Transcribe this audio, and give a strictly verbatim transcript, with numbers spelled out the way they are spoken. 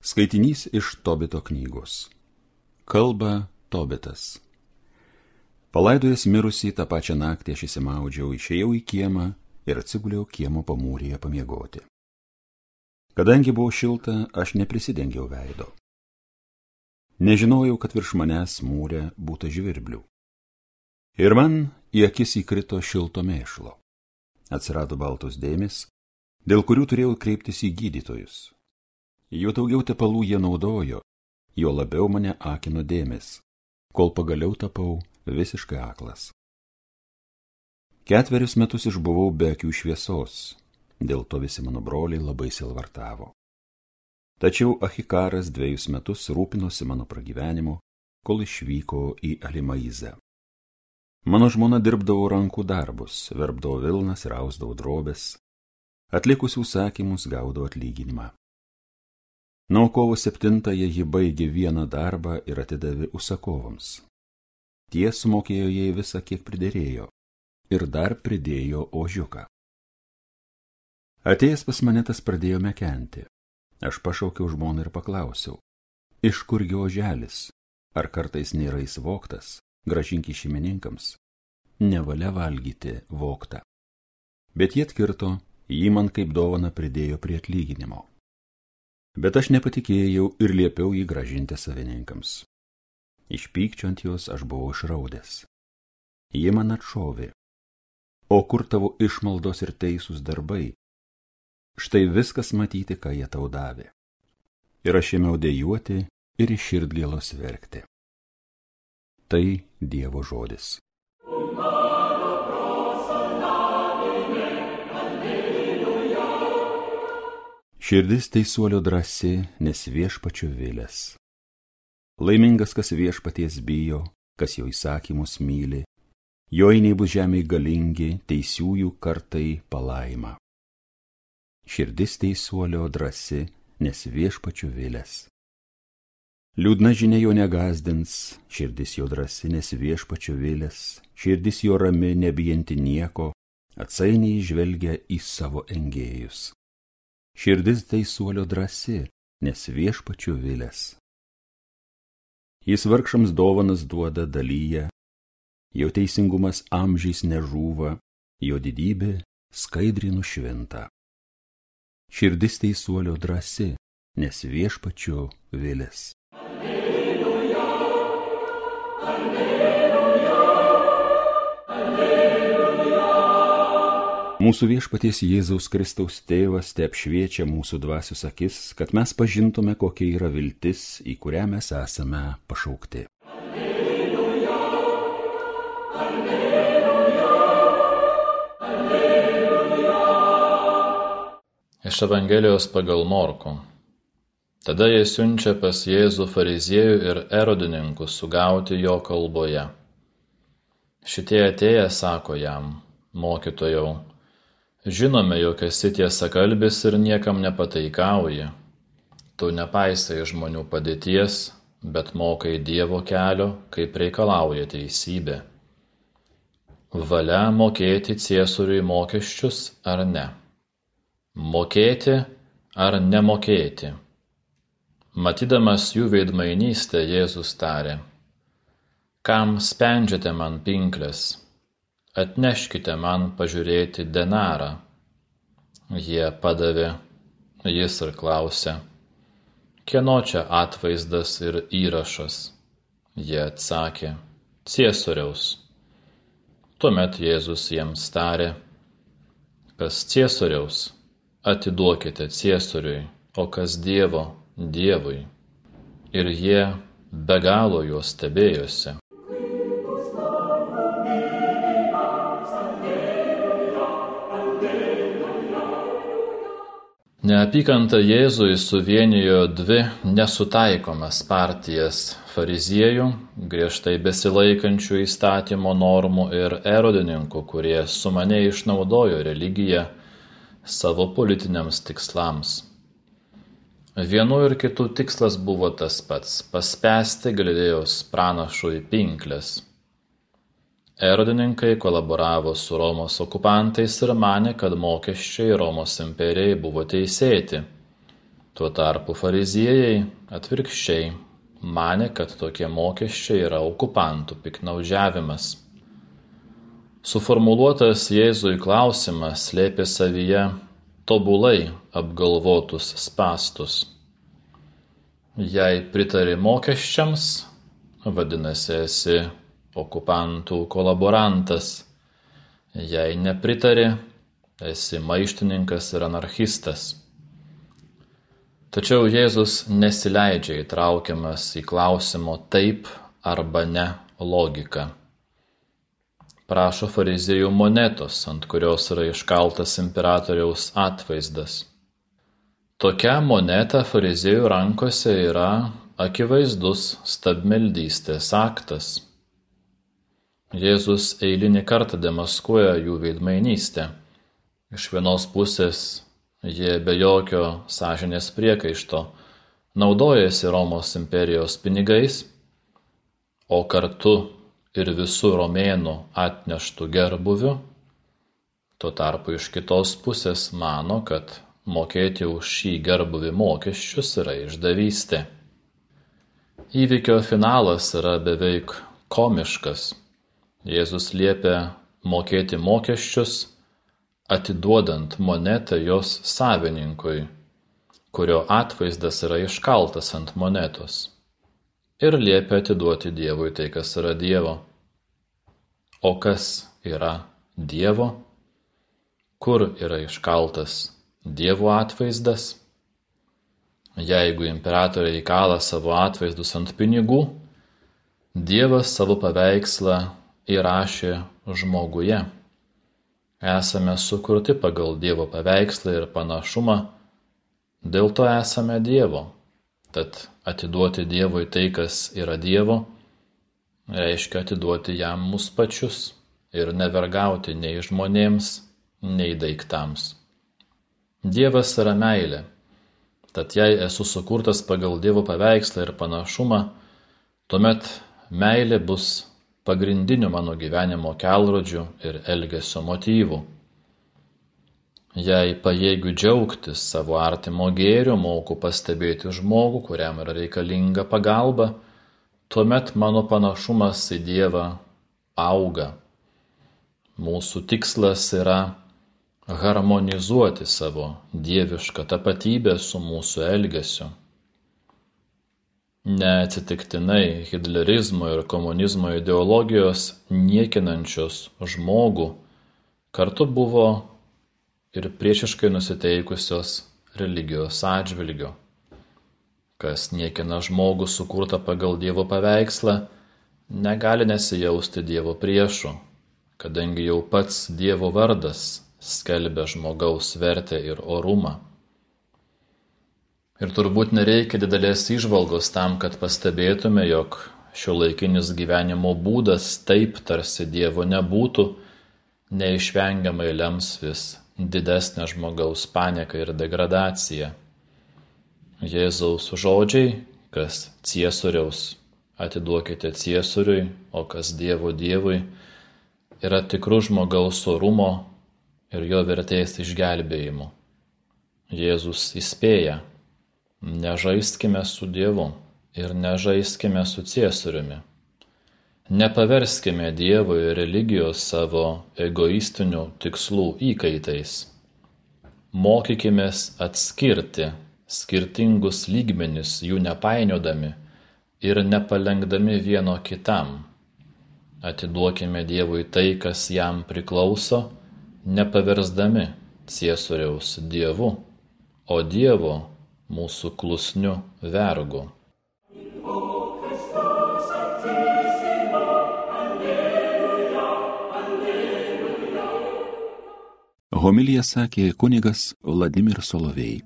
Skaitinys iš Tobito knygos. Kalba Tobitas. Palaidojęs mirusį tą pačią naktį aš įsimaudžiau, išėjau į kiemą ir atsiguliau kiemo pamūryje pamiegoti. Kadangi buvo šilta, aš neprisidengiau veido. Nežinojau, kad virš manęs mūre būta žvirblių. Ir man į akis įkrito šilto mėšlo. Atsirado baltos dėmės, dėl kurių turėjau kreiptis į gydytojus. Jų daugiau tepalų jie naudojo, jo labiau mane akino dėmės, kol pagaliau tapau visiškai aklas. Ketverius metus išbuvau be akių šviesos, dėl to visi mano broliai labai silvartavo. Tačiau Achikaras dviejus metus rūpinosi mano pragyvenimu, kol išvyko į Alimaizę. Mano žmona dirbdavo rankų darbus, verpdavo vilnas ir ausdavo drobes, atlikusi užsakymus gaudavo atlyginimą. Na, kovo septintąją ji baigė vieną darbą ir atidavė užsakovams. Tie sumokėjo jai visą, kiek priderėjo, ir dar pridėjo ožiuką. Atėjęs pas mane tas pradėjo mekenti. Aš pašaukiau žmoną ir paklausiau, iš kurgi oželis, ar kartais nėra jis vogtas, grąžink šeimininkams, nevalia valgyti vogtą. Bet jie atkirto, jį man kaip dovana pridėjo prie atlyginimo. Bet aš nepatikėjau ir liepiau jį grąžinti savininkams. Iš pykčio ant jos aš buvau išraudęs. Jie man atšovė. O kur tavo išmaldos ir teisūs darbai? Štai viskas matyti, ką jie tau davė. Ir aš ėmiau dejuoti ir iš širdgėlos verkti. Tai Dievo žodis. Širdis teisuolio drąsi, nes viešpačio vilės. Laimingas, kas viešpaties bijo, kas jo įsakymus myli, jo einiai bus žemėj galingi, teisiųjų kartai palaima. Širdis teisuolio drąsi, nes viešpačio vilės. Liūdna žinia jo negazdins, širdis jo drąsi, nes viešpačio vilės, širdis jo rami, nebijanti nieko, atsainiai žvelgia į savo engėjus. Širdis teisuolio drąsi, nes viešpačio vilės. Jis vargšams dovanas duoda dalyje, jo teisingumas amžiais nežūva, jo didybė skaidriai nušvinta. Širdis teisuolio drąsi, nes viešpačio vilės. Alleluja, alleluja, alleluja. Mūsų viešpaties Jėzaus Kristaus tėvas te apšviečia mūsų dvasios akis, kad mes pažintume, kokia yra viltis, į kurią mes esame pašaukti. Alleluja, alleluja, alleluja. Iš Evangelijos pagal Morkų. Tada jie siunčia pas Jėzų fariziejų ir erodininkų sugauti jo kalboje. Šitie atėję sako jam, mokytojau, žinome, jog esi tiesakalbis ir niekam nepataikauji. Tu nepaisai žmonių padėties, bet mokai Dievo kelio, kaip reikalauja teisybė. Valia mokėti Ciesoriui mokesčius ar ne? Mokėti ar nemokėti? Matydamas jų veidmainystę, Jėzus tarė, kam spendžiate man pinkles? Atneškite man pažiūrėti denarą. Jie padavė, jis ir klausė, kieno čia atvaizdas ir įrašas? Jie atsakė, Ciesoriaus. Tuomet Jėzus jiems tarė, kas Ciesoriaus, atiduokite Ciesoriui, o kas Dievo, Dievui. Ir jie be galo juos stebėjosi. Neapykanta Jėzui suvienijo dvi nesutaikomas partijas fariziejų, griežtai besilaikančių įstatymo normų, ir erodininkų, kurie sumaniai išnaudojo religiją savo politiniams tikslams. Vienų ir kitų tikslas buvo tas pats – paspęsti Galilėjos pranašui pinkles. Erodininkai kolaboravo su Romos okupantais ir manė, kad mokesčiai Romos imperijai buvo teisėti, Tuo tarpu fariziejai atvirkščiai manė, kad tokie mokesčiai yra okupantų piknaudžiavimas. Suformuluotas Jėzui klausimas slėpė savyje tobulai apgalvotus spąstus. Jei pritari mokesčiams, vadinasi esi okupantų kolaborantas. Jei nepritari, esi maištininkas ir anarchistas. Tačiau Jėzus nesileidžia įtraukiamas į klausimo taip arba ne logiką. Prašo fariziejų monetos, ant kurios yra iškaltas imperatoriaus atvaizdas. Tokia moneta fariziejų rankose yra akivaizdus stabmeldystės aktas. Jėzus eilinį kartą demaskuoja jų veidmainystę. Iš vienos pusės jie be jokio sąžinės priekaišto naudojasi Romos imperijos pinigais, o kartu ir visų romėnų atneštų gerbuvių. Tuo tarpu iš kitos pusės mano, kad mokėti už šį gerbuvį mokesčius yra išdavystė. Įvykio finalas yra beveik komiškas. Jėzus liepia mokėti mokesčius, atiduodant monetą jos savininkui, kurio atvaizdas yra iškaltas ant monetos, ir liepia atiduoti Dievui tai, kas yra Dievo. O kas yra Dievo? Kur yra iškaltas Dievo atvaizdas? Jeigu imperatoriai kala savo atvaizdus ant pinigų, Dievas savo paveikslą įrašė žmoguje. Esame sukurti pagal Dievo paveikslą ir panašumą, dėl to esame Dievo. Tad atiduoti Dievui tai, kas yra Dievo, reiškia atiduoti jam mus pačius ir nevergauti nei žmonėms, nei daiktams. Dievas yra meilė. Tad jei esu sukurtas pagal Dievo paveikslą ir panašumą, tuomet meilė bus pagrindiniu mano gyvenimo kelrodžiu ir elgesio motyvu. Jei pajėgiu džiaugtis savo artimo gėriu, moku pastebėti žmogų, kuriam yra reikalinga pagalba, tuomet mano panašumas į Dievą auga. Mūsų tikslas yra harmonizuoti savo dievišką tapatybę su mūsų elgesiu. Neatsitiktinai hitlerizmo ir komunizmo ideologijos niekinančios žmogų kartu buvo ir priešiškai nusiteikusios religijos atžvilgiu. Kas niekina žmogų sukurtą pagal Dievo paveikslą, negali nesijausti Dievo priešu, kadangi jau pats Dievo vardas skelbia žmogaus vertę ir orumą. Ir turbūt nereikia didelės įžvalgos tam, kad pastebėtume, jog šiuolaikinis gyvenimo būdas taip tarsi Dievo nebūtų, neišvengiamai lems vis didesnę žmogaus panieką ir degradaciją. Jėzaus žodžiai, kas Ciesoriaus, atiduokite Ciesoriui, o kas Dievo Dievui, yra tikrų žmogaus orumo ir jo vertės išgelbėjimu. Jėzus įspėja: nežaiskime su Dievu ir nežaiskime su Ciesoriumi. Nepaverskime Dievo ir religijos savo egoistinių tikslų įkaitais. Mokykimės atskirti skirtingus lygmenis, jų nepainiodami ir nepalenkdami vieno kitam. Atiduokime Dievui tai, kas jam priklauso, nepaversdami Ciesoriaus Dievu, o Dievo mūsų klusniu vergu. Homiliją sakė kunigas Vladimir Solovej.